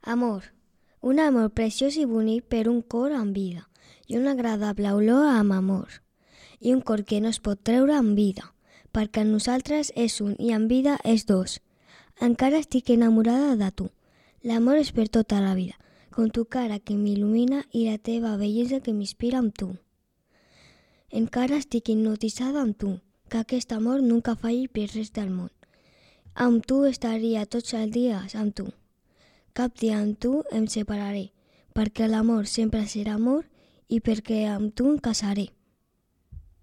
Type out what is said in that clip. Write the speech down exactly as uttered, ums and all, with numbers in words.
Amor. Un amor preciós i bonic per un cor amb vida i una agradable olor amb amor. I un cor que no es pot treure amb vida, perquè en nosaltres és un i en vida és dos. Encara estic enamorada de tu. L'amor és per tota la vida, com tu cara que m'il·lumina i la teva bellesa que m'inspira amb tu. Encara estic hipnotitzada amb tu, que aquest amor nunca falli per res del món. Amb tu estaria tots els dies amb tu. Cap dia amb tu em separaré, perquè l'amor sempre serà amor i perquè amb tu em casaré.